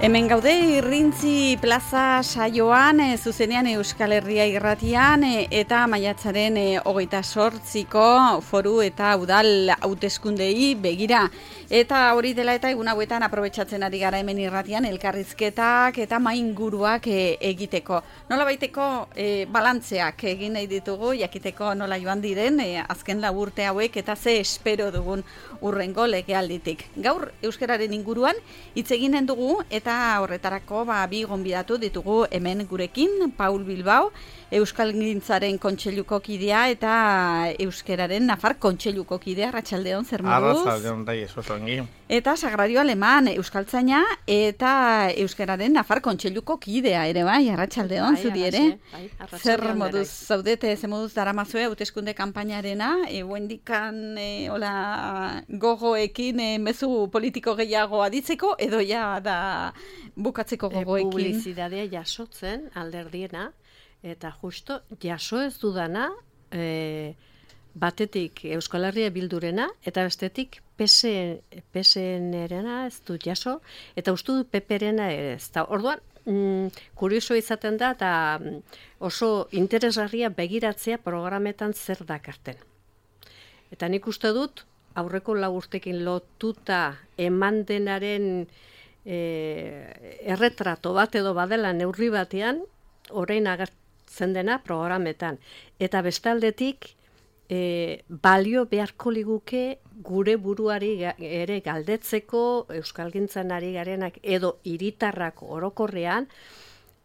Hemen gaude Irrintzi plaza saioan, zuzenean Euskal Herria irratian, eta maiatzaren 28ko foru eta udal hauteskundei begira. Eta hori dela eta egun hauetan aprobetxatzen ari gara hemen irratian elkarrizketak eta mainguruak egiteko. Nola baiteko balantzeak egin nahi ditugu, jakiteko nola joan diren azken urte hauek eta ze espero dugun urrengo legealditik. Gaur euskararen inguruan hitz eginen dugu eta horretarako bi gonbidatu ditugu hemen gurekin, Paul Bilbao, Euskalgintzaren Kontseiluko kidea eta Euskararen Nafar Kontseiluko kidea. Arratsaldeon, zer moduz? Arratsaldeon, oso ongi. Eta Sagrario Aleman, Euskaltzaina eta Euskararen Nafar Kontseiluko kidea ere bai. Arratsaldeon, zuri ere. Zer moduz zaudete, ze moduz daramazue hauteskunde kanpainarena, buendikan gogoekin mezu politiko gehiago aditzeko edo ja da bukatzeko gogoekin. Publizidadea jasotzen alderdiena, eta justo jaso ez dudana batetik Euskal Herria Bildurena eta bestetik PSN-erena ez du jaso, eta uste du PP-rena ere ez. Orduan, kurioso izaten da eta oso interesgarria begiratzea programetan zer dakarten. Eta nik uste dut, aurreko 4 urtekin lotuta eman denaren erretrato bat edo badela neurri batean, orain agertzen dena programetan. Eta bestaldetik, balio beharko liguke gure buruari ere galdetzeko, Euskalgintzan ari garenak edo hiritarrak orokorrean,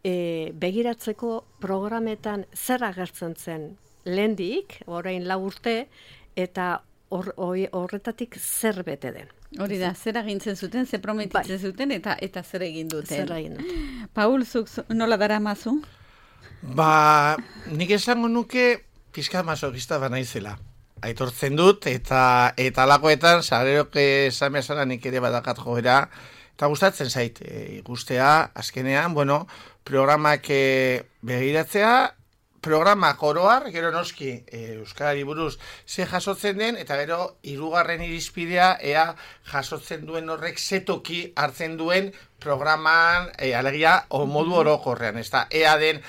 begiratzeko programetan zer agertzen zen lehendik, orain 4 urte, eta horretatik zer bete den. Hori da, zer agintzen zuten, zer prometitzen zuten, eta zer egin duten. Zer egin duten. Paul, zuk nola daramazu? Nik esango nuke pixka masokista banaizela. Aitortzen dut, eta alakoetan, Sagrariok esan bezala nik ere badakat joera, eta gustatzen zait, ikustea, azkenean, programak begiratzea, programak oroar, gero noski Euskarari buruz ze jasotzen den, eta gero 3. irizpidea ea jasotzen duen horrek zetoki hartzen duen programan, alegia, modu orokorrean, ez da, ea den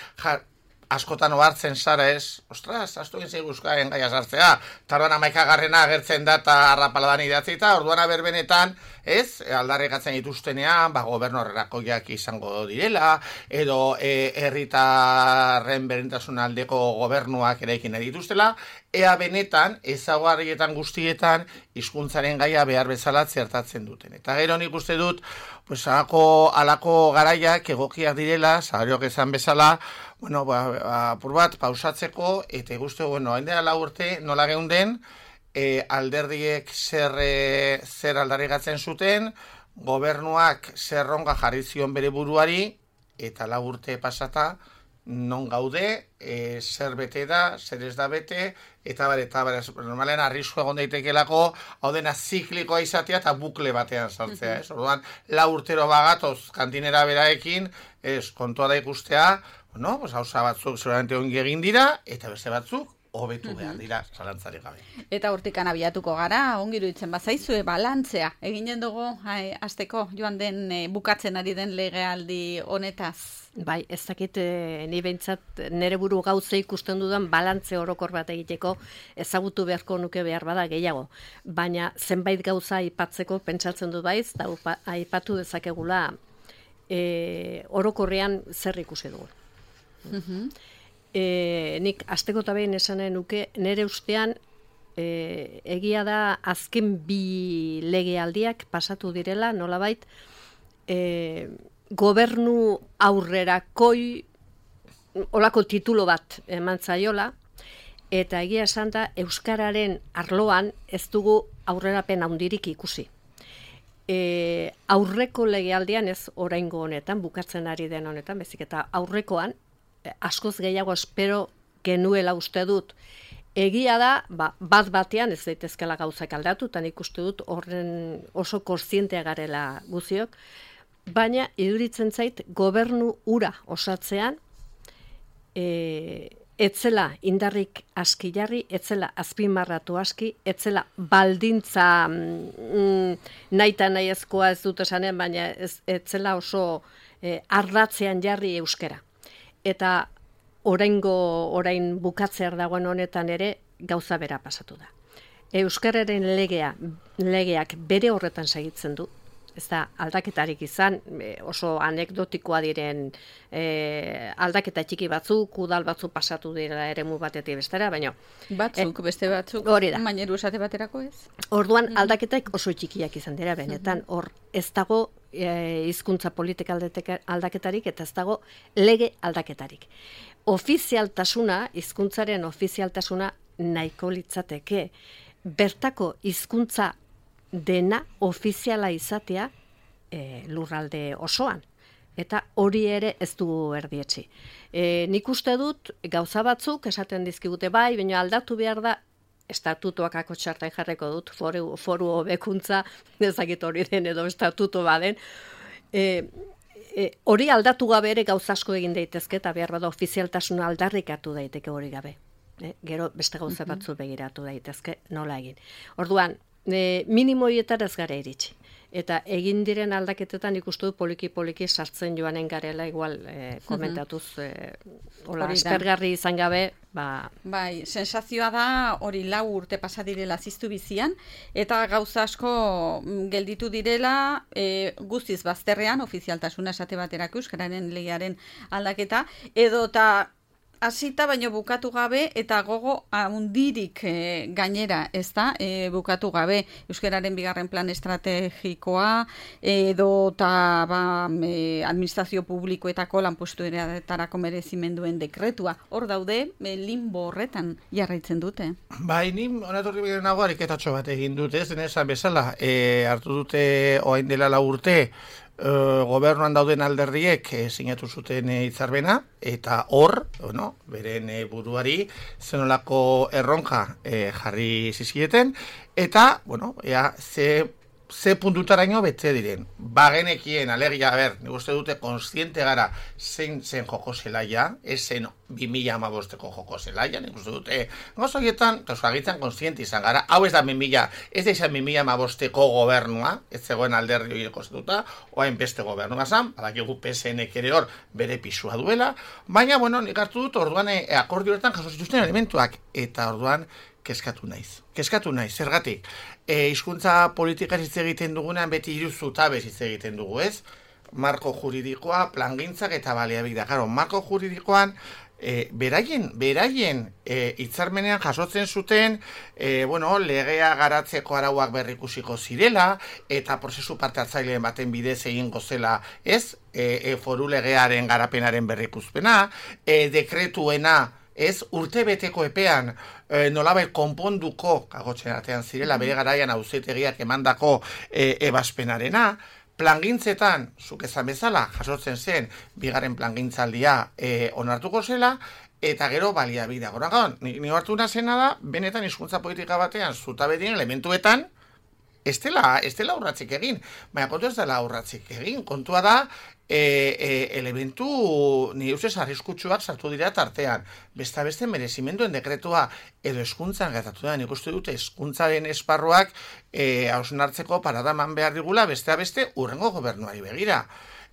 askotan ohartzen zara ez, ostras, astu egin zeigu Euskararen gaia sartzea, eta orduan 11. agertzen da eta arrapaladan idatzita, orduan berbenetan, ez, aldarrikatzen dituztenean, gobernu horrerakoiak izango direla, edo herritarren berdintasun aldeko gobernuak eraikin dituztela, ea benetan, ezaugarrietan guztietan, hizkuntzaren gaia behar bezala zertatzen duten. Eta gero nik uste dut, alako garaiak egokiak direla, Sagrariok esan bezala, apur bat pausatzeko, eta ikuste, hain dela 4 urte nola geunden, alderdiek zer aldarrikatzen zuten, gobernuak zer ronga jarri zion bere buruari, eta 4 urte pasata, non gaude, zer bete da, zer ez da bete, eta normalean arrisku egon daitekelako, hau dena ziklikoa izatea eta bukle batean sartzea, ez? Orduan, 4 urtero bagatoz kantinera beraekin, kontua da ikustea, hauza batzuk seguramente ongi egin dira, eta beste batzuk hobetu behar dira, zalantzarik gabe. Eta hortikan abiatuko gara, ongi iruditzen bazaizue, balantzea, eginen dugu, hasteko joan den bukatzen ari den legealdi honetaz. Bai, ez dakit ni behintzat nere buru gauza ikusten dudan balantze orokor bat egiteko ezagutu beharko nuke behar bada gehiago. Baina zenbait gauza aipatzeko pentsatzen dut baiz, da aipatu dezakegula orokorrean zer ikusi dugu. Nik asteko eta behin esanen nuke, nere ustean egia da azken 2 legealdiak pasatu direla, nolabait, gobernu aurrerakoi olako titulo bat eman zaiola, eta egia esan da Euskararen arloan ez dugu aurrerapen handirik ikusi. Aurreko legealdian, ez oraingo honetan, bukatzen ari den honetan, bezik eta aurrekoan, askoz gehiago espero genuela uste dut. Egia da, bat batean ez daitezkela gauzak aldatu, eta nik uste dut horren oso kontzientea garela guziok, baina iduritzen zait gobernu hura osatzean etzela indarrik aski jarri, etzela azpimarratu aski, etzela baldintza nahita nahiezkoa ez dut esanen, baina etzela oso ardatzean jarri euskara. Eta orain bukatzear dagoen honetan ere gauza bera pasatu da. Euskararen legeak bere horretan segitzen du, ez da aldaketarik izan, oso anekdotikoa diren aldaketa txiki batzuk, udal batzuk pasatu dira eremu batetik bestera, baina beste batzuk, hori da. maineru esate baterako ez? Orduan aldaketak oso txikiak izan dira, benetan, hor ez dago hizkuntza politika aldaketarik eta ez dago lege aldaketarik. Ofizialtasuna, hizkuntzaren ofizialtasuna nahiko litzateke, bertako hizkuntza dena ofiziala izatea lurralde osoan. Eta hori ere ez dugu erdietsi. Nik uste dut gauza batzuk esaten dizkigute bai, baina aldatu behar da estatutuak akotxartai jarreko dut, foru hobekuntza, ezakit hori den edo estatuto baden. Hori aldatu gabe ere gauza asko egin daitezke eta behar bada ofizialtasuna aldarrikatu daiteke hori gabe. Gero beste gauza batzu begiratu daitezke nola egin. Orduan, minimoietara ez gara iritsi. Eta egin diren aldaketetan ikustu du poliki sartzen joanen garela, igual komentatuz, aspergarri izan gabe, Bai, sensazioa da hori 4 urte pasa direla ziztu bizian, eta gauza asko gelditu direla guztiz bazterrean, ofizialtasuna esate baterako euskararen legearen aldaketa, edota hasita baino bukatu gabe eta gogo handirik gainera, ez da, bukatu gabe euskararen 2. plan estrategikoa edo eta administrazio publikoetako lanpostuetarako merezimenduen dekretua. Hor daude, limbo horretan jarraitzen dute. Bai, ni onatorri bide nago ariketatxo bat egin dute, zen esan bezala, hartu dute orain dela 4 urte, gobernuan dauden alderdiek sinatu zuten hitzarmena eta hor, beren buruari zenolako erronka jarri zizkieten eta, ze puntutaraino bete diren. Bagenekien, alegia, nik uste dute konstiente gara zein zen joko zelaia, ez zen 2015ko joko zelaia, nik uste dute gozoietan, agitzen konstiente izan gara, hau ez da 2000, ez da izan 2015ko gobernua, ez zegoen alderdi horiek konstituta, oain beste gobernua zan, badakigu PSN-ek ere hor bere pisua duela, baina, nik hartu dut, orduan akordioetan jaso zituzten elementuak, eta orduan kezkatu naiz, zergatik. Hizkuntza politikaz hitz egiten dugunean beti 3 zutabez hitz egiten dugu, ez? Marko juridikoa, plangintzak eta baliabidea. Claro, marko juridikoan beraien hitzarmenean jasotzen zuten, legea garatzeko arauak berrikusiko zirela eta prozesu parte hartzaileen baten bidez egingo zela, ez? Foru legearen garapenaren berrikuspena, dekretuena, ez urtebeteko epean nolabait konponduko kagotzen artean zirela bere garaian auzitegiak emandako ebazpenarena, plangintzetan, zuk esan bezala, jasotzen zen 2. plangintzaldia onartuko zela, eta gero baliabidea. Goran, ni hartu nazena da, benetan hizkuntza politika batean zutabetien elementuetan, ez dela urratzik egin, baina kontu ez dela urratzik egin, kontua da, elementu nire ustez arriskutsuak sartu dira tartean. Beste merezimenduen dekretua edo hezkuntzan gertatu da. Nik uste dute hezkuntzaren esparruak hausnartzeko paradaman behar digula beste urrengo gobernuari begira.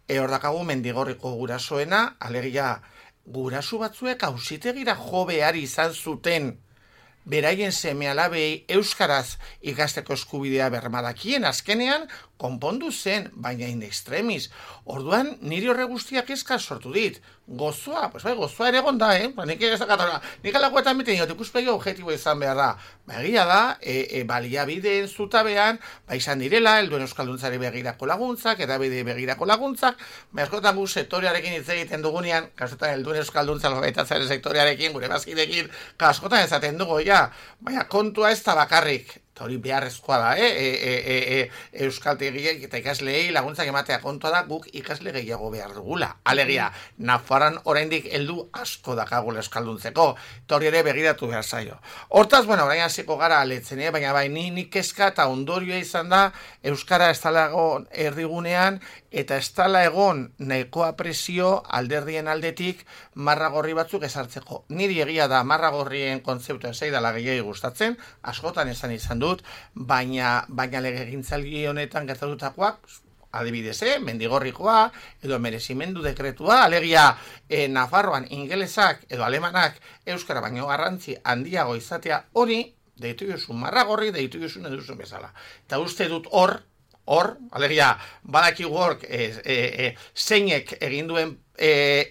Hor dakagu Mendigorriko gurasoena, alegia guraso batzuek auzitegira jo behar izan zuten beraien seme-alabei euskaraz ikasteko eskubidea bermadakien azkenean konpondu zen, baina in extremis. Orduan, niri horre guztiak kezka sortu dit. Gozoa, gozoa ere gonda, nik alakoetan biten dut, ikuspegi objektibo izan behar da. Egia da, baliabideen zutabean, izan direla, helduen euskalduntzari begirako laguntzak, eta begirako laguntzak, askotan gu sektorearekin hitz egiten dugunean, askotan helduen euskalduntza logaitatzaren sektorearekin, gure bazkidekin, askotan ezaten dugu, baina kontua ez da bakarrik. eta hori beharrezkoa da, euskaltegiek eta ikasleei laguntzak ematea kontua da, guk ikasle gehiago behar dugula. Alegia, Nafarroan oraindik heldu asko dakagula euskalduntzeko, eta hori ere begiratu behar zaio. Hortaz, orain hasiko gara aletzen, baina bai, nik kezka eta ondorioa izan da, euskara ez dela egon erdigunean, eta ez dela egon nahikoa presio alderdien aldetik marragorri batzuk ezartzeko. Niri egia da marragorrien kontzeptua zaidala gehiagi gustatzen, askotan esan izan dut, baina legegintzaldi honetan gertatutakoak, adibidez, mendigorrikoa, edo merezimendu dekretua, alegia Nafarroan ingelesak edo alemanak euskara baino garrantzi handiago izatea hori, deitu jozu marragorri, deitu jozu eduzun bezala. Eta uste dut hor, alegia, badakigu hor, zeinek egin duen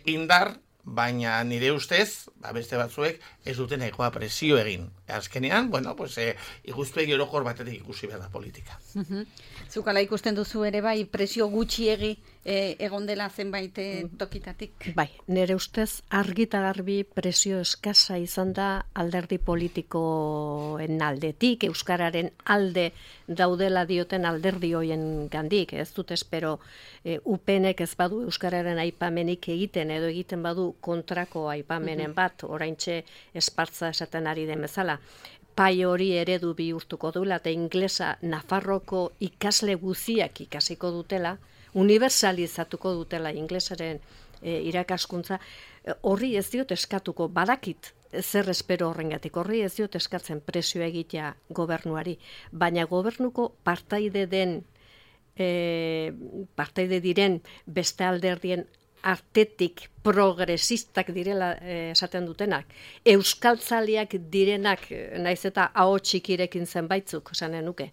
indar, baina nire ustez, beste batzuek ez duten nahikoa presio egin. Azkenean, ikuspegi orokor batetik ikusi behar da politika. Zukala ikusten duzu ere bai, presio gutxiegi egon dela zenbait tokitatik? Bai, nire ustez argi eta garbi presio eskasa izan da alderdi politikoen aldetik, euskararen alde daudela dioten alderdi hoien gandik. Ez dut espero UPNek ez badu euskararen aipamenik egiten edo egiten badu kontrako aipamenen bat, oraintxe espartza esaten ari den bezala. Pai hori eredu bihurtuko duela eta inglesa Nafarroko ikasle guziak ikasiko dutela, universalizatuko dutela inglesaren irakaskuntza, horri ez diot eskatuko, badakit zer espero horrengatik, horri ez diot eskatzen presio egitea gobernuari, baina gobernuko partaide diren beste alderdien artetik progresistak direla esaten dutenak, euskaltzaleak direnak, naiz eta ahots txikirekin zenbaitzuk, esanen nuke,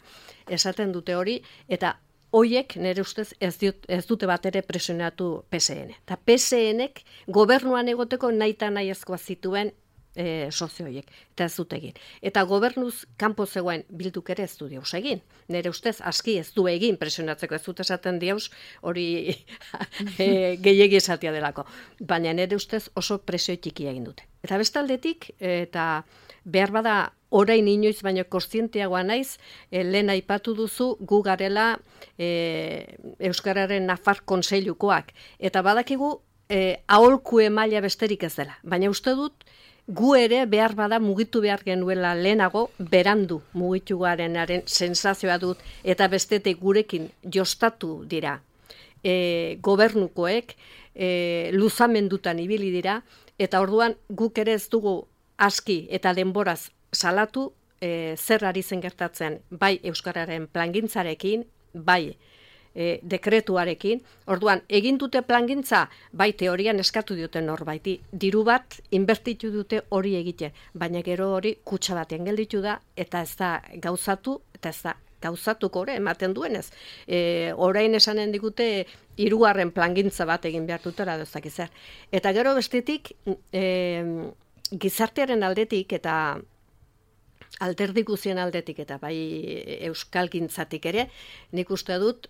esaten dute hori, eta hoiek nire ustez ez dute bat ere presionatu PSN. Eta PSNek gobernuan egoteko nahita nahiazkoa zituen sozioiek, eta ez dut egin. Eta gobernuz kanpo zegoen Bilduk ere ez du diauz egin. Nire ustez aski ez du egin presionatzeko, ez dut esaten diauz hori gehiegi esatia delako. Baina nire ustez oso presio txiki egin dute. Eta bestaldetik, eta behar bada orain inoiz baino kontzienteagoa naiz, lehen aipatu duzu gu garela Euskararen Nafar Kontseilukoak. Eta badakigu aholku emaila besterik ez dela. Baina uste dut, gu ere behar bada mugitu behar genuela lehenago, berandu mugitu garenaren sensazioa dut, eta bestetik gurekin jostatu dira gobernukoek, luzamendutan ibili dira, eta orduan guk ere ez dugu aski eta denboraz salatu zer ari zen gertatzen, bai Euskararen plangintzarekin, bai dekretuarekin. Orduan, egin dute plangintza, bai teorian eskatu dioten norbaiti, diru bat inbertitu dute hori egite, baina gero hori kutxa batean gelditu da, eta ez da gauzatu, eta ez da gauzatuko ematen duenez. Orain esanen digute, 3. plangintza bat egin behar dutela dozak izan. Eta gero bestetik, gizartearen aldetik, eta alderdi guzien aldetik, eta bai euskalgintzatik ere, nik uste dut,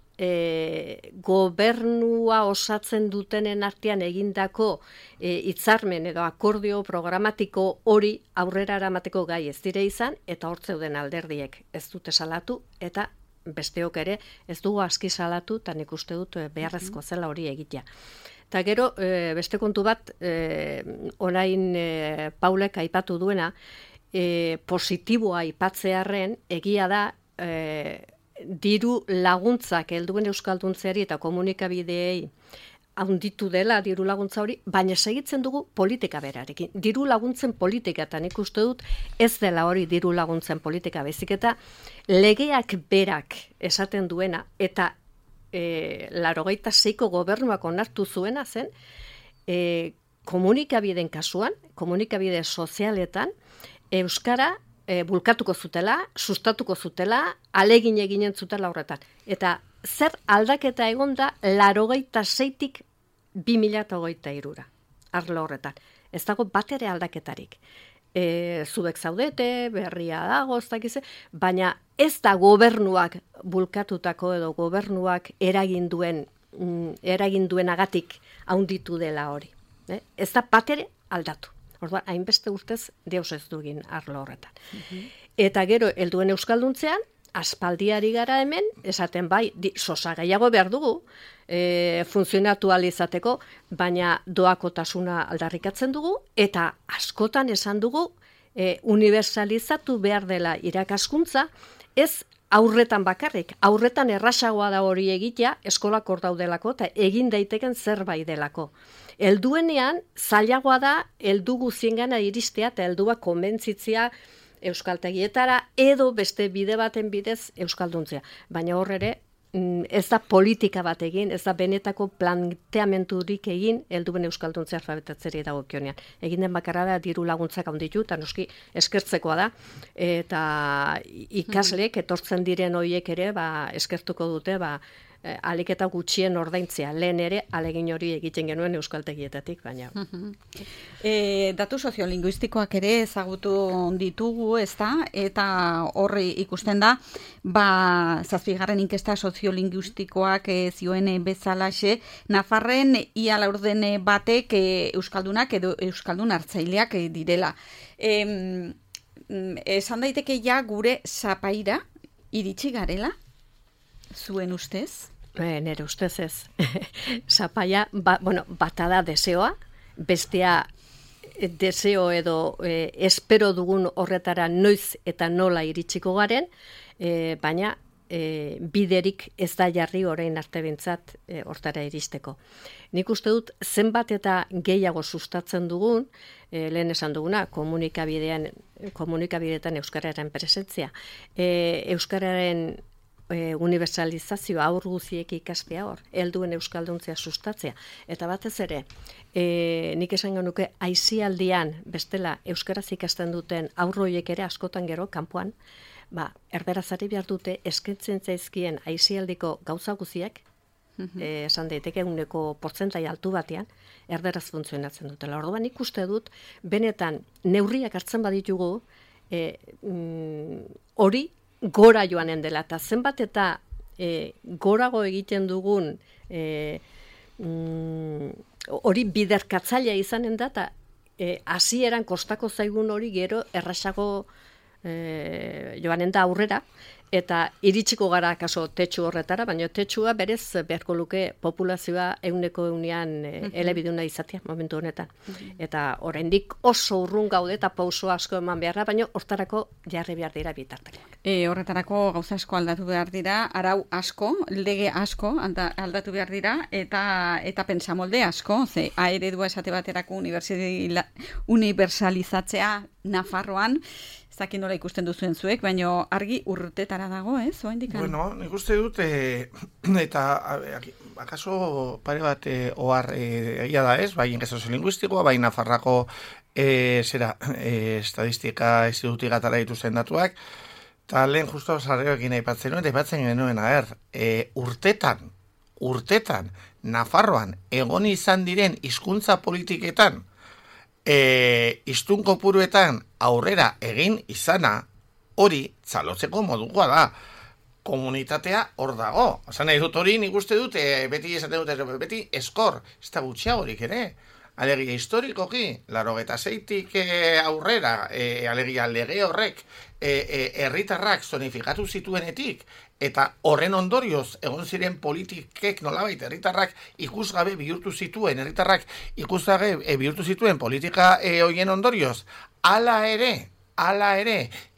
gobernua osatzen dutenen artean egindako hitzarmen edo akordio programatiko hori aurrera eramateko gai ez dire izan, eta hor zeuden alderdiek ez dute salatu, eta besteok ere ez dugu aski salatu, eta nik uste dut beharrezko zela hori egitea. Eta gero, beste kontu bat, orain Paulek aipatu duena, positiboa aipatzearren egia da diru laguntzak helduen euskalduntzeari eta komunikabideei handitu dela diru laguntza hori, baina segitzen dugu politika berarekin. Diru laguntzen politika, eta nik uste dut ez dela hori diru laguntzen politika, bezik eta legeak berak esaten duena, eta 86ko gobernuak onartu zuena zen, komunikabideen kasuan, komunikabide sozialetan, euskara bulkatuko zutela, sustatuko zutela, alegin eginen zutela horretan. Eta zer aldaketa egonda 86tik 2023 arlo horretan. Ez dago bat ere aldaketarik. Zuek zaudete, berria dago, ez dakize, baina ez da gobernuak bulkatutako edo gobernuak eraginduenagatik handitu dela hori. Ez da bat ere aldatu. Orduan, hainbeste urtez deus ez dugin arlo horretan. Eta gero, helduen euskalduntzean, aspaldiari gara hemen, esaten bai, sosa gehiago behar dugu, funtzionatu ahal izateko, baina doakotasuna aldarrikatzen dugu, eta askotan esan dugu, universalizatu behar dela irakaskuntza, ez aurretan bakarrik, aurretan errasagoa da hori egitea, eskolak hor daudelako, eta egin daiteken zerbait delako. Helduenean, zailagoa da, heldu guziengana iristea, eta heldua konbentzitzea euskaltegietara, edo beste bide baten bidez euskalduntzea. Baina hor ere, ez da politika bat egin, ez da benetako planteamenturik egin helduen euskalduntzea alfabetatzeri dagokionean. Egin den bakarra da diru laguntzak handitu, eta noski eskertzekoa da, eta ikasleek etortzen diren horiek ere eskertuko dute, alik eta gutxien ordaintzea, lehen ere alegin hori egiten genuen euskaltegietatik, baina. Datu soziolinguistikoak ere ezagutu ditugu, ezta? Eta horri ikusten da, 7. inkesta soziolinguistikoak zioen bezalaxe, Nafarren ia laurden batek euskaldunak edo euskaldun hartzaileak direla. Esan daiteke ja gure zapaira iritsi garela? Zuen ustez? Nere ustez ez. Zapaia, bata da deseoa, bestea deseo edo espero dugun horretara noiz eta nola iritsiko garen, baina biderik ez da jarri orain arte bintzat hortara iristeko. Nik uste dut zenbat eta gehiago sustatzen dugun, lehen esan duguna, komunikabideetan euskararen presentzia, euskararen universalizazioa aur guziek ikastea hor, helduen euskalduntzea sustatzea. Eta batez ere, nik esango nuke aisialdian bestela euskaraz ikasten duten aurroiek ere askotan gero kanpoan, erderazari behar dute eskaintzen zaizkien aisialdiko gauza guziak, esan daiteke uneko portzentai altu batean, erderaz funtzionatzen dutela. Orduan nik uste dut, benetan neurriak hartzen baditugu, hori gora joanen dela, eta zenbat eta gorago egiten dugun hori biderkatzailea izanen da, eta hasieran kostako zaigun hori gero errasago joanen da aurrera, eta iritsiko gara kaso tetsu horretara, baina tetsua berez beharko luke populazioa 100% elebiduna izatea momentu honetan. Eta oraindik oso urrun gaude eta pauso asko eman beharra, baina hortarako jarri behar dira bitartekoak. Horretarako gauza asko aldatu behar dira, arau asko, lege asko aldatu behar dira, eta pentsamolde asko, ze eredua esate baterako universalizatzea Nafarroan, zakin nola ikusten duzuen zuek, baina argi urtetara dago, ez? Bueno, nik uste dut, eta akaso pare bat ohar egia da, ez? Bai inkesta soziolinguistikoa, bai Nafarrako estadistika institutik atara dituzten datuak, eta lehen justu sarreroekin aipatzen nuen, eta aipatzen genuen, urtetan, Nafarroan egon izan diren hizkuntza politiketan, hiztun kopuruetan aurrera egin izana, hori tzalotzeko modukoa da. Komunitatea hor dago. Osan nahi dut hori, nik uste dut, beti esaten dut, beti eskor, ez da gutxiagorik ere. Alegia historikoki, 86tik aurrera, alegia lege horrek, herritarrak zonifikatu zituenetik, eta horren ondorioz egon ziren politikek nolabait herritarrak ikusgabe bihurtu zituen, herritarrak ikusgabe bihurtu zituen politika horien ondorioz, hala ere,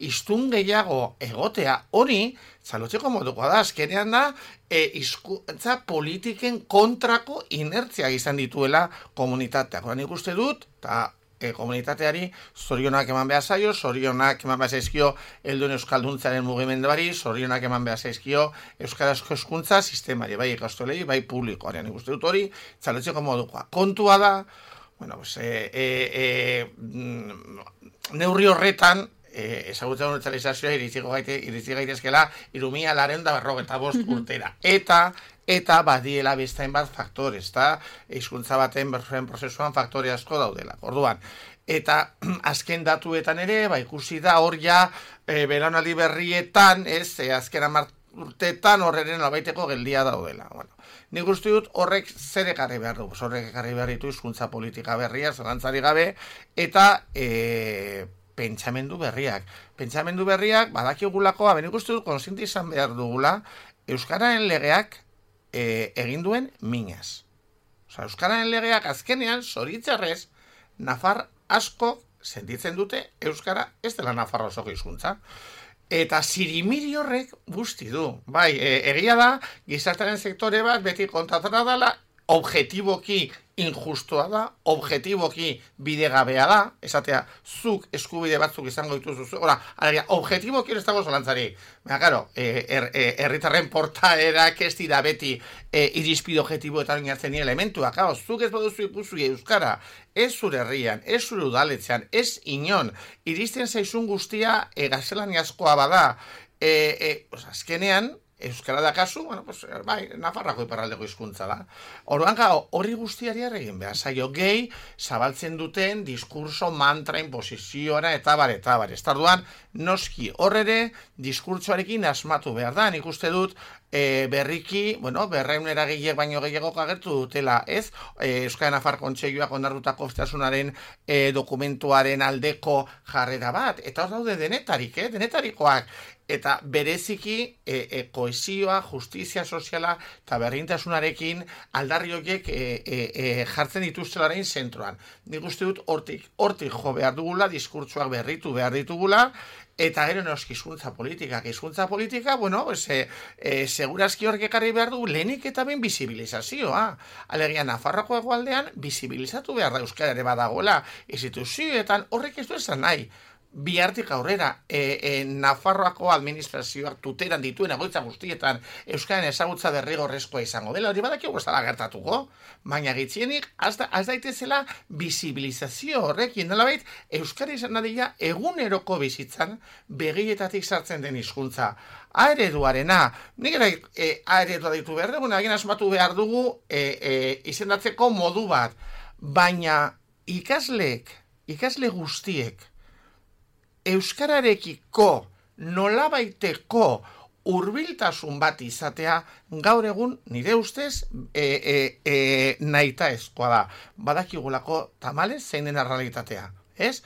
hiztun gehiago egotea hori, zalotzeko modukoa da, azkenean da, hizkuntza politiken kontrako inertzia izan dituela komunitateak. Nik uste dut, eta komunitateari zorionak eman behar zaio, zorionak eman behar zaizkio helduen euskalduntzearen mugimenduari, zorionak eman behar zaizkio euskarazko hezkuntza sistemari, bai ikastolei, bai publikoaren. Nik uste dut hori, zalotzeko modukoa. Kontua da, neurri horretan, ezagutzen universalizazioa iritzi gaitezkela 3.945 urtera. Eta badiela bestain bat faktore, hizkuntza baten prozesuan faktore asko daudela. Orduan, eta azken datuetan ere, ikusi da hor ja, belaunaldi berrietan, azken 10 urteetan horreren albaiteko geldia daudela. Nik uste dut horrek zer ekarri behar du, horrek ekarri behar ditu hizkuntza politika berria, zalantzari gabe, eta pentsamendu berriak. Pentsamendu berriak, badakigulako, benik uste dut, konsiente izan behar dugula, euskararen legeak egin duen minaz. Osa, euskararen legeak azkenean, zoritzarrez, nafar asko sentitzen dute euskara ez dela Nafarro osoko hizkuntza. Eta zirimiri horrek guzti du. Bai, egia da, gizartearen sektore bat beti kontratora dela, objetiboki injustua da, objetiboki bidegabea da, esatea, zuk eskubide batzuk izango dituzu, alegia, objetiboki ez dago zolantzari. Baina, karo, herritarren portaerak ez dira beti irizpide objetiboetan oinartzen ni elementuak, zuk ez baduzu ikusi euskara, ez zure herrian, ez zure udaletxean, ez inon, iristen zaizun guztia gaztelaniazkoa bada, azkenean, euskara da kasu, bai, Nafarroako iparraldeko hizkuntza da. Orduan, horri guztiari egin behar zaio gehi, zabaltzen duten diskurso, mantra, imposizioa, eta bar. Orduan, noski, horrere, diskurtsoarekin asmatu behar da. Nik uste dut, berriki, berreun eragilek baino gehiago agertu dutela, ez? Euskara Nafar Kontseiluak onartutako ostasunaren dokumentuaren aldeko jarrera bat, eta hor daude denetarikoak, eta bereziki kohesioa, justizia soziala eta berdintasunarekin aldarri horiek jartzen dituztelaren zentroan. Nik uste dut hortik jo behar dugula, diskurtsoak berritu behar ditugula, eta gero noski hizkuntza politika, segurazki horrek ekarri behar du lehenik eta ben bisibilizazioa. Alegia, Nafarroako hegoaldean bisibilizatu behar da euskara ere badagoela, instituzioetan horrek ez du esan nahi. Bihartik aurrera, Nafarroako administrazioak tuteran dituen egoitza guztietan euskaren ezagutza derrigorrezkoa izango dela, hori badakigu ez dela gertatuko, baina gitxienik az daitezela bisibilizazio horrekin, nolabait euskara izan dadila eguneroko bizitzan begietatik sartzen den hizkuntza. A-ereduarena, nik A-eredua ditu behar dugu, nagin asmatu behar dugu izendatzeko modu bat, baina ikasle guztiek euskararekiko nolabaiteko hurbiltasun bat izatea gaur egun nire ustez nahitaezkoa da. Badakigulako tamalez zein den errealitatea, ez?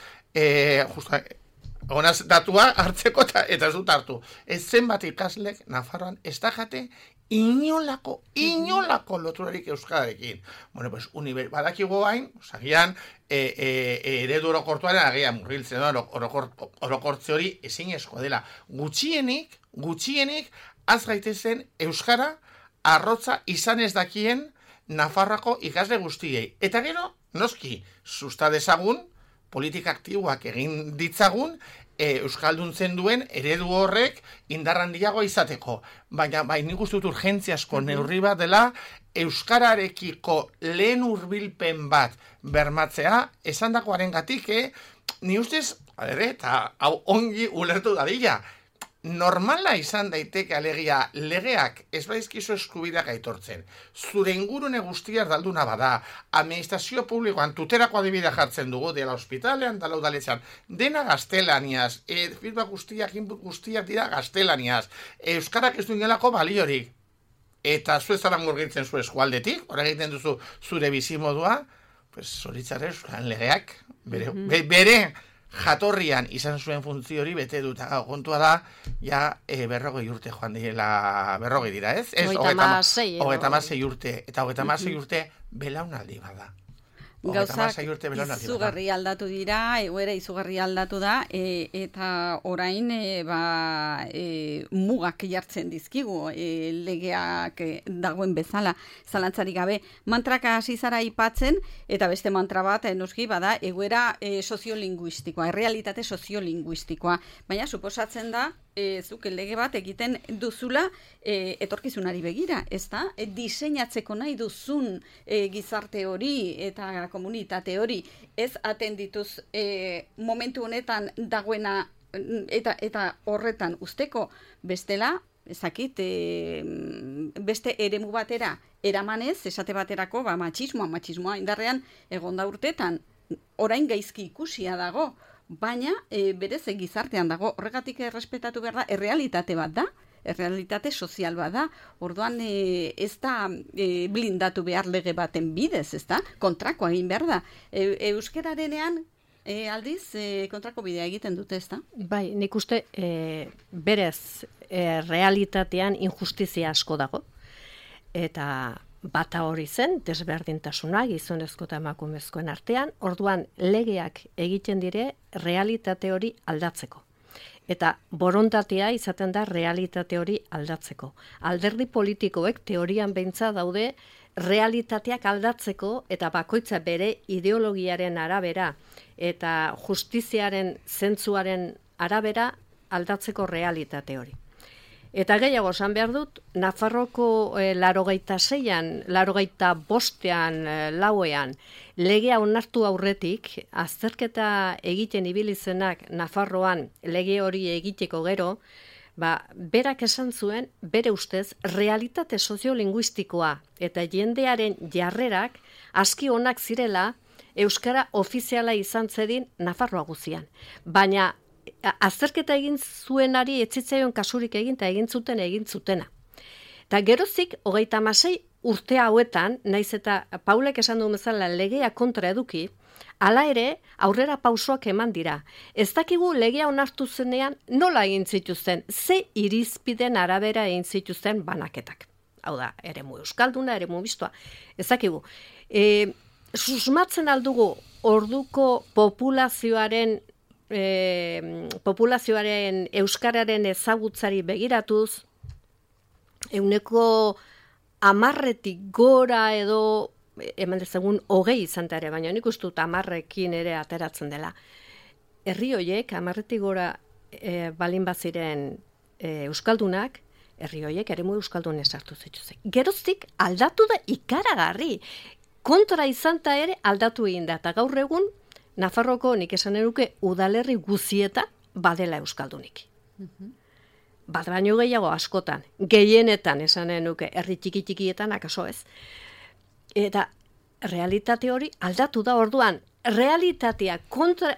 Honaz datua hartzeko eta ez dut hartu. Ez zenbat ikaslek Nafarroan ez da jate inolako loturarik euskararekin. Badakigu hain, agian, eredu orokortuaren agian murriltzen orokortze hori ezinezkoa dela. Gutxienik, az gaitezen euskara arrotza izan ez dakien Nafarroako ikasle guztiei. Eta gero, noski, susta dezagun, politika aktiboak egin ditzagun, euskalduntzen duen eredu horrek indarrandiago izateko. Baina nik uste dut urgentziazko neurri bat dela euskararekiko lehen hurbilpen bat bermatzea, esandakoarengatik, ni ustez, eta hau ongi ulertu dadila, normala izan daiteke alegia legeak ez baizkizu eskubideak aitortzen. Zure ingurune guztiak dalduna bada, administrazio publikoan tuterako adibidea jartzen dugu, dela ospitalean, dela udaletxean, dena gaztelaniaz, firma guztiak, input guztiak dira gaztelaniaz, euskarak ez duenelako baliorik. Eta zu ez zaran murgiltzen zu eskualdetik, hori egiten duzu zure bizimodua, zoritzarrez, legeak, bere jatorrian izan zuen funtzio hori bete dut. Kontua da, ja, 40 urte joan direla, 40 dira, ez? 36 urte, eta 36 urte belaunaldi bada. Gauzak izugarri aldatu dira, egoera izugarri aldatu da, eta orain mugak jartzen dizkigu legeak dagoen bezala, zalantzarik gabe. Mantraka hasi zara aipatzen, eta beste mantra bat, noski, bada, egoera soziolinguistikoa, errealitate soziolinguistikoa. Baina, suposatzen da, zuk lege bat egiten duzula etorkizunari begira, ez da? Diseinatzeko nahi duzun gizarte hori eta komunitate hori ez atendituz momentu honetan dagoena eta horretan usteko bestela, ezakit, beste eremu batera eramanez, esate baterako, matxismoa indarrean egonda urtetan, orain gaizki ikusia dago, baina berez gizartean dago, horregatik errespetatu behar da, errealitate bat da, errealitate sozial bat da, orduan ez da blindatu behar lege baten bidez, ez da, kontrakoa egin behar da. Euskararenean Aldiz, kontrako bidea egiten dute, ezta? Bai, nik uste berez realitatean injustizia asko dago, eta bata hori zen, desberdintasuna gizonezko eta emakumezkoen artean, orduan legeak egiten dire realitate hori aldatzeko. Eta borondatea izaten da realitate hori aldatzeko. Alderdi politikoek teorian beintza daude realitateak aldatzeko eta bakoitza bere ideologiaren arabera eta justiziaren zentzuaren arabera aldatzeko realitate hori. Eta gehiago esan behar dut, Nafarroko 86an, 85ean, 4ean, legea onartu aurretik, azterketa egiten ibili zenak Nafarroan lege hori egiteko gero, berak esan zuen, bere ustez, realitate soziolinguistikoa eta jendearen jarrerak aski onak zirela euskara ofiziala izan zedin Nafarroa guzian. Baina azterketa egin zuenari etzitzaion kasurik egin eta egin zutena. Eta gerozik, 36 urte hauetan, naiz eta Paulek esan duen bezala legea kontra eduki, hala ere, aurrera pausoak eman dira. Ez dakigu legea onartu zenean nola egin zituzten, ze irizpiden arabera egin zituzten banaketak. Hau da, eremu euskalduna, eremu mistoa. Ez dakigu. Susmatzen aldugu orduko populazioaren euskararen ezagutzari begiratuz, 10% gora edo eman dezagun 20 izan ere, baina nik uste dut 10ekin ere ateratzen dela. Herri horiek 10 gora balin baziren euskaldunak, herri horiek eremu euskaldun sartu zituzten. Geroztik aldatu da ikaragarri. Kontra izan ere aldatu egin da, eta gaur egun Nafarroko nik esan eruke udalerri guzieta badela euskaldunik. Bat baino gehiago askotan, gehienetan esan enuke herri txiki-txikietan akaso ez. Eta realitate hori aldatu da orduan, realitatea kontra,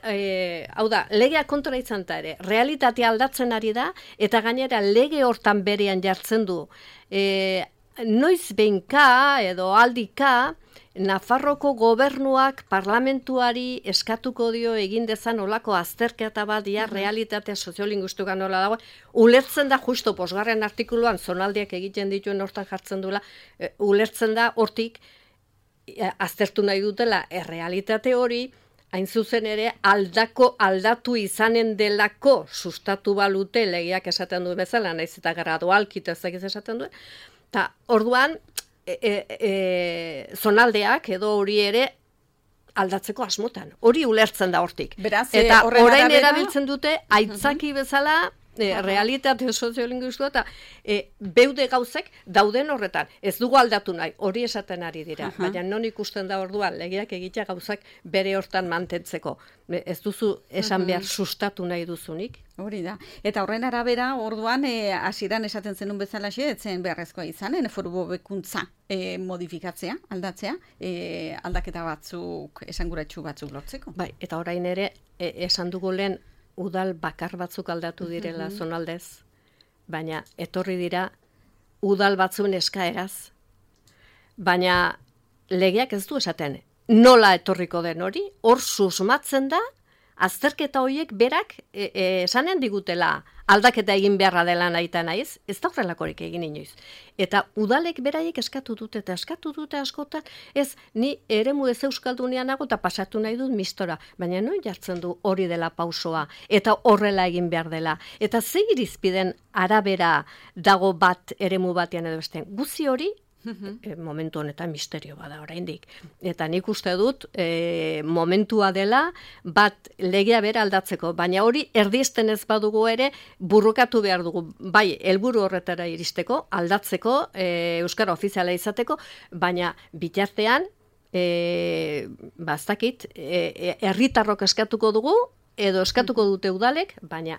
legea kontra izan da ere, realitatea aldatzen ari da, eta gainera lege hortan berean jartzen du, noiz behinka edo aldika, Nafarroko gobernuak parlamentuari eskatuko dio egin dezan olako azterketa bat dia realitatea soziolinguistikoa nola dago. Ulertzen da justo posgarren artikuluan zonaldiak egiten dituen hortan jartzen duela, ulertzen da hortik aztertu nahi dutela errealitate hori, hain zuzen ere aldatu izanen delako sustatu balute legeak esaten duen bezala, naiz eta gradualki esaten duen. Ta orduan zonaldeak edo hori ere aldatzeko asmotan. Hori ulertzen da hortik. Beraz, eta orain erabiltzen dute aitzaki bezala realitate soziolinguistikoa eta beude gauzek dauden horretan. Ez dugu aldatu nahi, hori esaten ari dira. Baina non ikusten da orduan legeak egitea gauzak bere hortan mantentzeko. Ez duzu esan behar sustatu nahi duzunik. Hori da. Eta horren arabera, orduan, hasieran esaten zenun bezalaxe, etzen beharrezkoa izanen, foru hobekuntza modifikatzea, aldatzea, aldaketa batzuk, esanguratsu batzuk lortzeko. Bai, eta orain ere, esan dugu lehen, udal bakar batzuk aldatu direla zonaldez, baina etorri dira udal batzuen eskaeraz, baina legeak ez du esaten, nola etorriko den hori, hor susmatzen da, azterketa horiek berak esanen digutela aldaketa egin beharra dela nahita naiz, ez da horrelakorik egin inoiz. Eta udalek beraiek eskatu dute askotan, ez ni eremu ez euskaldunean nago eta pasatu nahi dut mistora, baina non jartzen du hori dela pausoa, eta horrela egin behar dela. Eta ze irizpiden arabera dago bat eremu batean edo bestean. Guzi hori, momentu honetan misterio bada oraindik. Eta nik uste dut momentua dela bat legea bera aldatzeko, baina hori erdiesten ez badugu ere burrukatu behar dugu, bai helburu horretara iristeko, aldatzeko, euskara ofiziala izateko, baina bitartean baztakit herritarrok eskatuko dugu edo eskatuko dute udalek, baina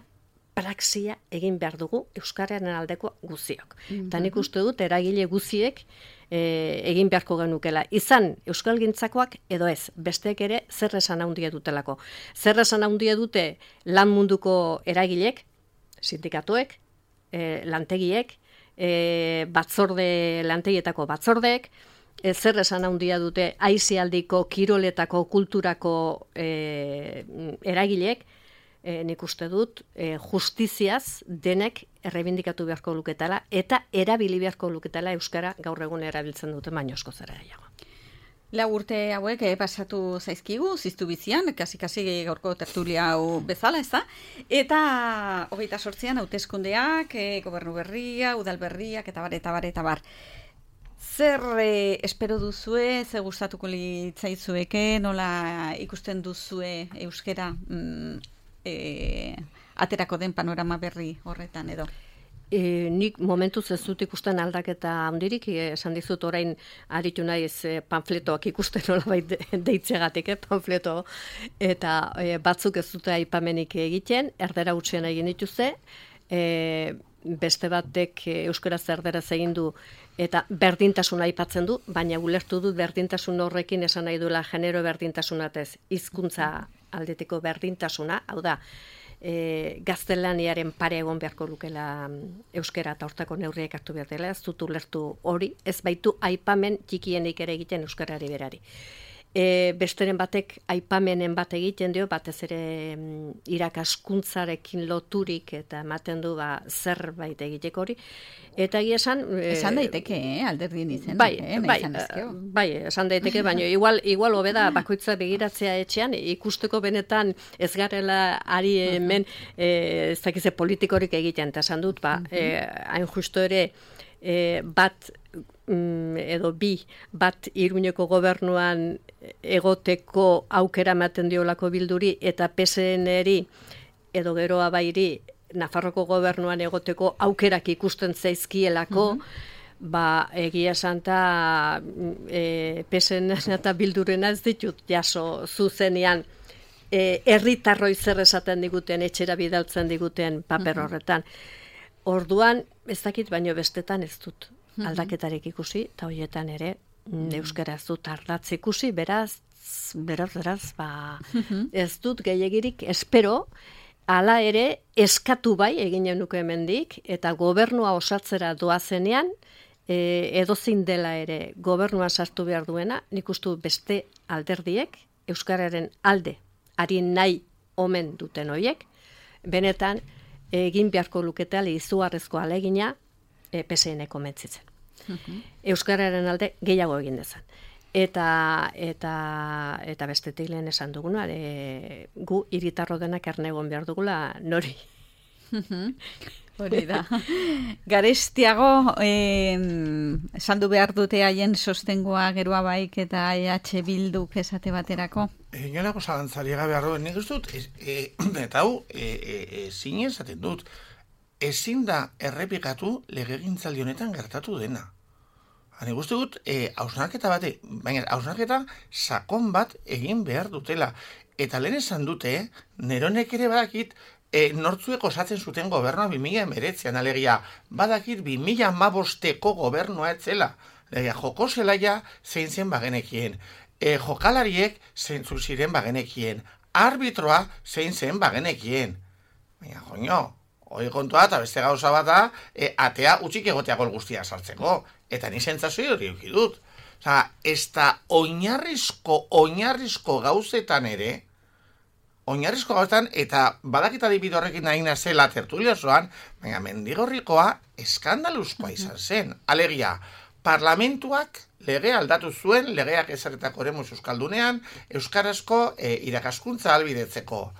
praxia egin behar dugu euskararen aldeko guziok. Eta nik uste dut eragile guziek egin beharko genukela. Izan euskalgintzakoak edo ez, besteek ere zer esan handia dutelako. Zer esan handia dute lan munduko eragilek, sindikatuek, lantegiek, lantegietako batzordeek, zer esan handia dute aisialdiko, kiroletako, kulturako eragileek, nik uste dut, justiziaz denek errebindikatu beharko luketala eta erabili beharko luketala euskara gaur egun erabiltzen dute baino asko zera gehiago. 4 urte hauek pasatu zaizkigu, ziztu bizian, kasi gaurko tertulia hau bezala, ez da? Eta 28an hauteskundeak, gobernu berria, udal berriak, eta bar. Zer espero duzue, zer gustatuko litzaizueke, nola ikusten duzue euskera aterako den panorama berri horretan edo? Nik momentuz ez dut ikusten aldaketa handirik, esan dizut orain aritu naiz panfletoak ikusten nolabait deitzegatik, panfleto, eta batzuk ez dute aipamenik egiten, erdera utxean egin dituzte, beste batek euskaraz erderaz egin du eta berdintasuna aipatzen du, baina ulertu dut berdintasun horrekin esan nahi duela genero berdintasunatez, hizkuntza aldetiko berdintasuna, hau da, gaztelaniaren pare egon beharko lukela euskera eta hortako neurriek hartu behar dela, ez dut ulertu hori, ez baitu aipamen txikienik ere egiten euskarari berari. Besteren batek aipamenen bat egiten dio, batez ere irakaskuntzarekin loturik eta ematen du zerbait egiteko hori. Eta esan daiteke, alderdien izen. Bai, esan daiteke, baina igual hobeda bakoitza begiratzea etxean, ikusteko benetan ez garela ari hemen ez dakize politikorik egiten, eta esan dut, hain justo ere bat edo bat Iruñeko gobernuan egoteko aukera ematen diolako Bilduri eta PSN-eri edo geroa bairi Nafarroko gobernuan egoteko aukerak ikusten zaizkielako, egia esan ta PSN eta Bildurena ez ditut jaso zuzenean herritarroi zer esaten diguten, etxera bidaltzen diguten paper horretan. Orduan, ez dakit baino bestetan ez dut aldaketarik ikusi, eta horietan ere euskara ez dut ardatz ikusi, beraz, ez dut gehiagirik espero, hala ere eskatu bai eginen nuke hemendik, eta gobernua osatzera doazenean, edozin dela ere gobernua sartu behar duena, nik uste beste alderdiek, euskararen alde, ari nahi omen duten horiek, benetan, egin beharko luketale izugarrezko alegina PSN-eko metzitzen. Euskararen alde gehiago egin dezan. Eta bestetik lehen esan duguna, gu hiritarro denak ernegon behar dugula nori. Hori da. Garestiago, esan du behar dute haien sostengoa geroa baik eta EH Bilduk esate baterako? Inolako zalantzari gabe arroen, nik ez dut, eta hau, ezin esaten dut, ezin da errepikatu legegintzaldi honetan gertatu dena. Nik uste dut, hausnarketa bate, baina hausnarketa sakon bat egin behar dutela. Eta lehen esan dute, neronek ere badakit, nortzuek osatzen zuten gobernua 2019an, alegia, badakit 2015ko gobernua etzela. Alegia, joko zelaia zein zen bagenekien. Jokalariek zeintzu ziren bagenekien. Arbitroa zein zen bagenekien. Baina, joño, hori kontua eta beste gauza bat da, atea utxik egotea gol guztia sartzeko. Eta ni sentsazio hori eduki dut. Osa, ez da oinarrizko gauzetan ere, oinarrizko gauzetan, eta badakita dibidu horrekin nahi nazela tertuliosoan, baina Mendigorrikoa eskandaluzkoa izan zen. Alegia, parlamentuak lege aldatu zuen, legeak ezarritako eremu euskaldunean, euskarazko irakaskuntza ahalbidetzeko.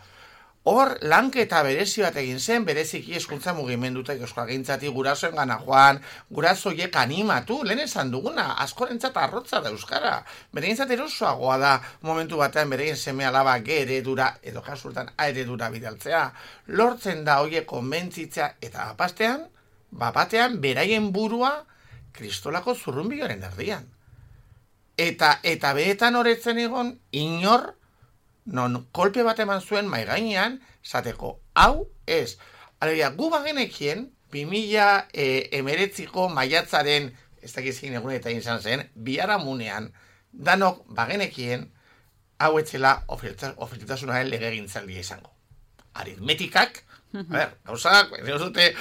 Hor, lanketa berezi bat egin zen, bereziki hezkuntza mugimendutak euskalgintzatik gurasoen gana joan, gurasoiek animatu, lehen esan duguna, askorentzat arrotza da euskara. Berentzat erosoagoa da momentu batean bereien seme alaba eredura, edo kasurtan eredura bidaltzea. Lortzen da hoiek konbentzitzea, eta batean, beraien burua kristolako zurrunbiloaren erdian. Eta behetan horretzen egon, inor, non kolpe bat eman zuen maigainean, zateko, hau ez. Alegia, gu bagenekien, 2019ko maiatzaren, ez dakizkin egunetan izan zen, biharamunean, danok bagenekien, hau etzela ofizialtasunaren legegintzaldia izango. Aritmetikak, Gauzak, ez dute,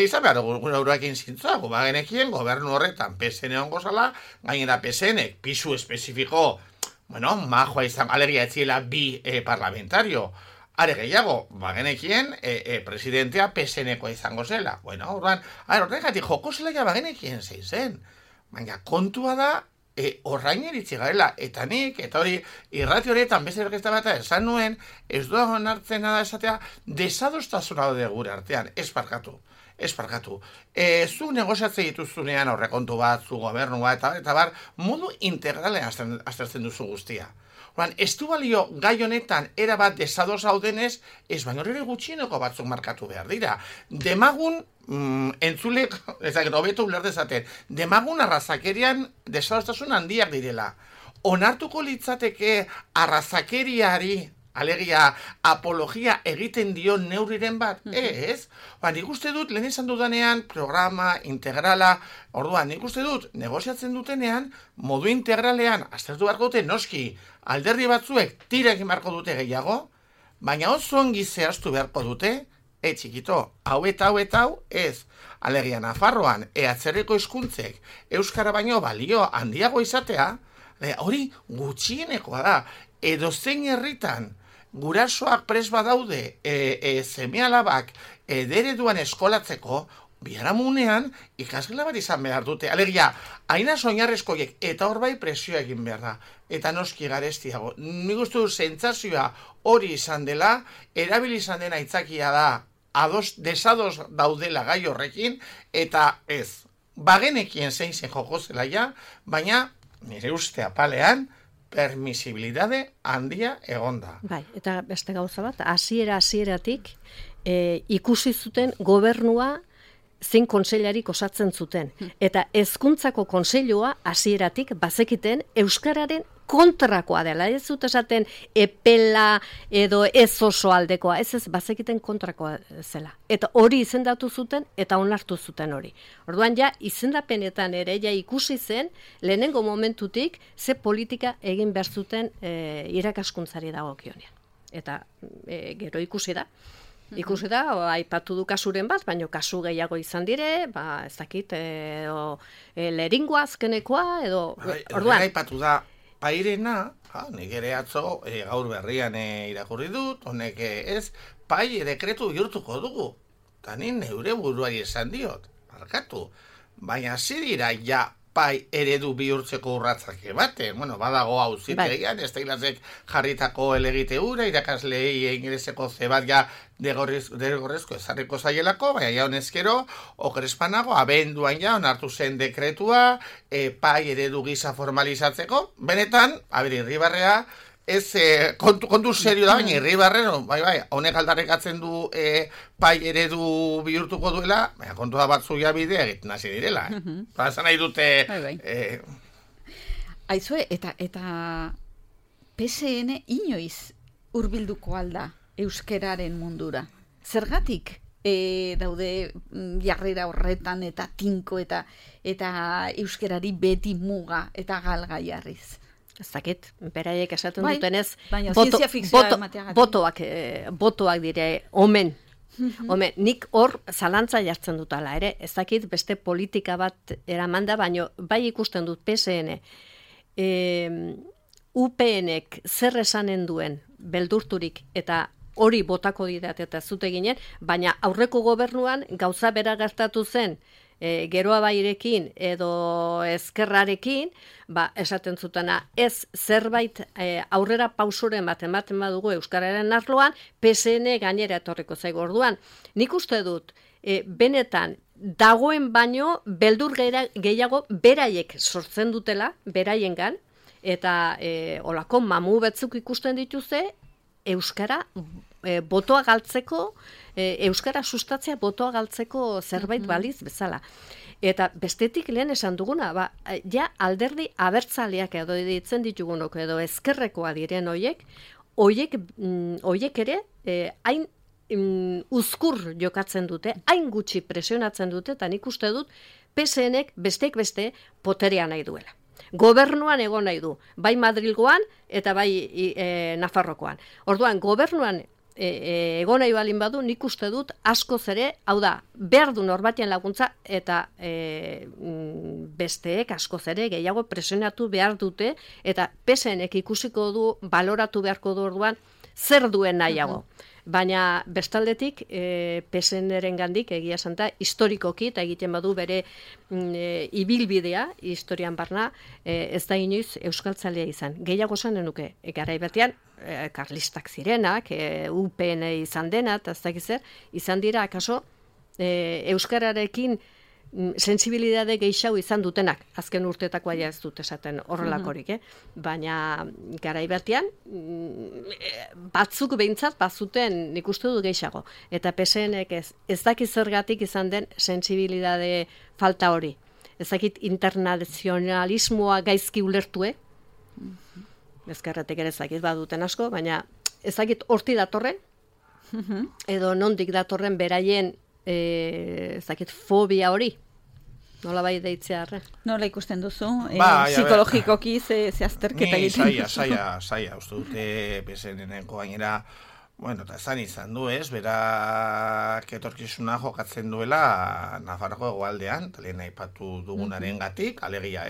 izan behar gure auroekin zintzago, bagenekien gobernu horretan PSN ongo zala, gainera PSNek pisu espezifiko, majoa izan, alegia etziela bi parlamentario. Are gehiago, bagenekien presidentea PSNkoa izango zela. Horregatik joko zela bagenekien zen. Baina kontua da, horrain eritzi garela, eta nik, eta hori irrati horietan beste berkesta bat esan nuen, ez duago hartzen nada esatea, desadostasuna daude gure artean, ez parkatu. Zu negoziatzen dituzunean aurrekontu bat, zu gobernua, eta bar, modu integralean aztertzen duzu guztia. Ez du balio gai honetan erabat desados haudenez, ez baino ere gutxieneko batzuk markatu behar dira. Demagun, entzulek, ezak, hobeto uler dezaten, demagun arrazakerian desadostasun handiak direla. Onartuko litzateke arrazakeriari, alegia, apologia egiten dio neurriren bat, ez? Nik uste dut, lehen esan dudanean, programa, integrala, orduan, nik uste dut, negoziatzen dutenean, modu integralean, aztertu beharko dute, noski, alderdi batzuek tira egin beharko dute gehiago, baina oso ongi zehaztu beharko dute, txikito, hau eta hau, ez. Alegia, Nafarroan, atzerriko hizkuntzek euskara baino balio handiago izatea, hori gutxienekoa da, edozein herritan, gurasoak pres badaude, seme-alabak ereduan eskolatzeko, biharamunean ikasgela bat izan behar dute. Alegia, haina soinarrezkoiek eta hor bai presioa egin behar da. Eta noski garestiago. Nik uste dut sentsazioa hori izan dela, erabili izan dena aitzakia da, desados daudela gai horrekin, eta ez, bagenekien zein zen joko zela ja, baina nire uste apalean, permisibilidade handia egonda. Bai, eta beste gauza bat, hasieratik ikusi zuten gobernua zein kontseilarik osatzen zuten. Eta hezkuntzako kontseilua hasieratik bazekiten euskararen kontrakoa dela. Ez zut esaten epela edo ez oso aldekoa, ez bazekiten kontrakoa zela. Eta hori izendatu zuten eta onartu zuten hori. Orduan ja izendapenetan ere ja ikusi zen lehenengo momentutik ze politika egin behar zuten irakaskuntzari dagokionean. Eta gero ikusi da. Ikusi da, aipatu du kasuren bat, baina kasu gehiago izan dire, ez dakit, leringoa azkenekoa, edo... Orduan aipatu da, pairena, nik ere atzo gaur berrian irakurri dut, honek ez, pai dekretu bihurtuko dugu. Eta ni neure buruari esan diot, markatu. Baina dira ja pai eredu bihurtzeko urratzak ematen. Badago hau zitegian, ez teilazek jarritako elegite ura, irakaslei ingeleseko zebat ja dergorrezko ezarriko zaielako, baina ja honezkero, okrespanago, abenduan ja onartu zen dekretua, pai eredu gisa formalizatzeko, benetan, Irribarrea, ez kontu serio da, baina Irribarren, honek aldarrekatzen du pai eredu bihurtuko duela, baina kontua batzu ja bidea egiten hasi direla. Zan nahi dute... Aizue, eta PSN inoiz hurbilduko alda euskeraren mundura. Zergatik daude jarrera horretan eta tinko eta euskerari beti muga eta galga jarriz. Ez dakit, beraiek esaten dutenez, botoak dire, omen. Nik hor zalantza jartzen dutala, ere, ez dakit beste politika bat eramanda, baina bai ikusten dut PSN, UPNek zer esanen duen beldurturik eta hori botako didat eta zute ginen, baina aurreko gobernuan gauza bera gertatu zen, geroa bairekin edo ezkerrarekin, esaten zutena ez zerbait aurrera pausoren bat ematen badugu euskararen arloan, PSN gainera etorriko zaigu. Orduan. Nik uste dut, benetan dagoen baino beldur gehiago beraiek sortzen dutela, beraiengan, eta olako mamu batzuk ikusten dituzte, euskara botoa galtzeko, euskara sustatzea botoa galtzeko zerbait baliz bezala. Eta bestetik lehen esan duguna, ja alderdi abertzaleak edo ditzen ditugunok edo ezkerrekoa diren hoiek ere hain uzkur jokatzen dute, hain gutxi presionatzen dute, eta nik uste dut PSNek besteik beste poterea nahi duela. Gobernuan egon nahi du, bai Madrilgoan eta bai Nafarrokoan. Orduan, gobernuan egon nahi balin badu, nik uste dut askoz ere, hau da, behar du norbatien laguntza, eta besteek askoz ere gehiago presionatu behar dute, eta PSNek ikusiko du, baloratu beharko du orduan, zer duen nahiago. Baina bestaldetik PSNren gandik egia santa historikoki eta egiten badu bere ibilbidea historian barna ez da inoiz euskaltzalea izan. Gehiago esan nuke garai batean karlistak zirenak, UPN izan dena eta ez dakiz zer, izan dira akaso euskararekin sensibilidade gehiago izan dutenak, azken urteetakoa ja ez dut esaten horrelakorik, baina garai batean batzuk behintzat bazuten nik uste dut gehiago, eta PSNek ez dakit zergatik izan den sensibilidade falta hori. Ez dakit internazionalismoa gaizki ulertue, ezkerretik ere ez dakit baduten asko, baina ez dakit horti datorren, edo nondik datorren beraien zakit fobia hori, nola bai deitzea arre. Nola ikusten duzu, psikologikoki ze azterketa egiten duzu. Saia, uste dute PSN-eko gainera, bueno, eta izan du, berak etorkizuna jokatzen duela Nafarroko hegoaldean, lehen aipatu dugunaren gatik, alegia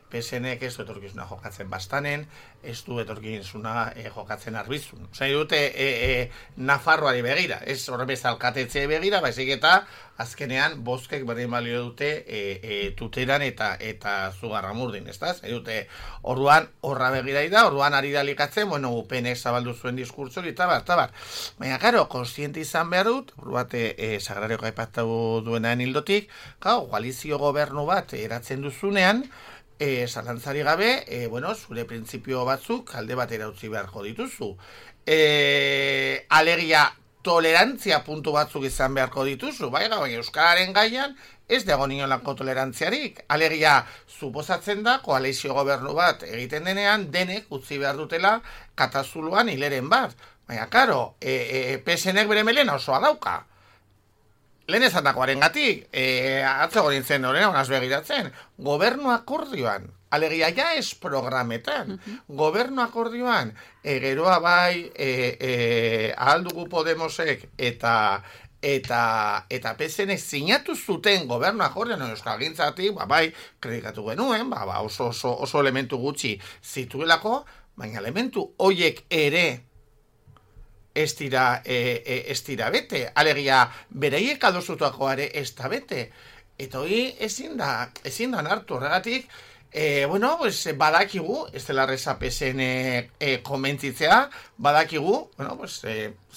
PSNek ez du etorkizuna jokatzen bastanen, ez du etorkizuna jokatzen arbizun. Osa, dute Nafarroari begira, ez horremez alkatetze begira, baizik eta azkenean bozkek berdin balio dute tuteran eta zugarramurdin, ez da? Dute orduan horra begira da, orduan ari dalikatzen, bueno, UPNek zabaldu zuen diskurtso eta bar. Baina, karo, konstiente izan behar dut, Sagrariok aipatu duenaren hildotik, koalizio gobernu bat eratzen duzunean, zalantzari gabe, zure printzipio batzuk alde batera utzi beharko dituzu. Alegia tolerantzia puntu batzuk izan beharko dituzu, baina euskararen gaian ez dago inolako tolerantziarik. Alegia, suposatzen da, koalizio gobernu bat egiten denean, denek utzi behar dutela katazuluan hileren bat. Baina, karo, PSNek bere melena osoa dauka. Lehen esan dakoaren gatik, atzago nintzen horren honaz begiratzen, gobernu akordioan, alegia ja ez programetan, gobernu akordioan, geroa bai, ahaldugu Podemosek eta PSNek sinatu zuten gobernu akordioan euskal gintzatik, bai, kredikatu genuen, oso elementu gutxi zituelako, baina elementu hoiek ere ez dira bete, alegia bereiek adostutakoa ere ez da bete. Eta hori ezin da nartu horregatik, badakigu, ez dela reza PSN komentzitzea, badakigu,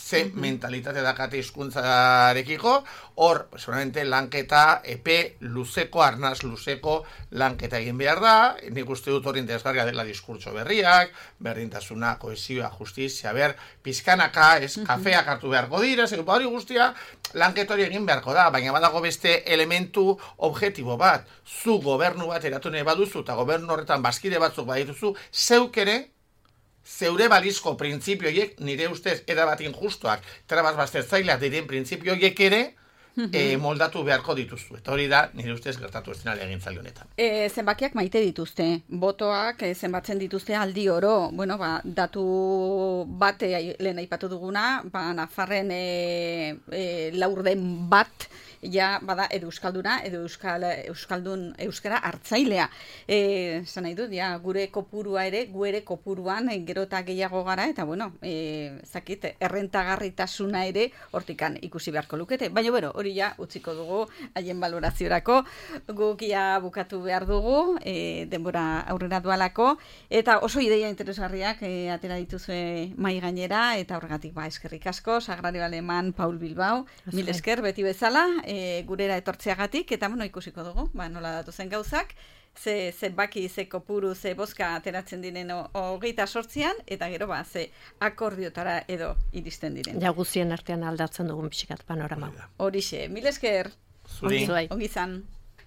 ze mentalitate dakate hizkuntzarekiko, hor, seguramente lanketa epe luzeko, arnaz luzeko lanketa egin behar da, nik uste dut hori interesgarria dela diskurtso berriak, berdintasuna, kohesioa, justizia, pizkanaka, kafeak hartu beharko dira, hori guztia, lanketa hori egin beharko da, baina badago beste elementu objektibo bat, zu gobernu bat eratu nahi baduzu, eta gobernu horretan bazkide batzuk badituzu, zeuk ere, zeure balizko printzipioiek, nire ustez erabat injustuak, trabaz baztertzaileak diren printzipioiek ere, moldatu beharko dituzu. Eta hori da, nire ustez gertatu ez dena egintzaile honetan. Zenbakiak maite dituzte, botoak zenbatzen dituzte aldi oro, datu bate lehen aipatu duguna, Nafarren laurden bat, ja, bada, edo euskalduna, edo euskara hartzailea. Zan nahi dut, gure kopurua ere, ere kopuruan gero eta gehiago gara, eta, zakit, errentagarritasuna ere hortikan ikusi beharko lukete. Baina, hori ja, utziko dugu, haien baloraziorako, gukia bukatu behar dugu, denbora aurrera dualako, eta oso ideia interesgarriak atera dituzue mai gainera, eta horregatik eskerrik asko, Sagrario Aleman, Paul Bilbao, mil esker, beti bezala, gurera etortzeagatik, eta ikusiko dugu, nola datu zen gauzak, ze baki, ze kopuru, ze boska ateratzen diren 28an, eta gero ze akordiotara edo iristen diren. Ja, guztien artean aldatzen dugun pixkat panorama. Horixe, mil esker. Zuri. Ongi zan.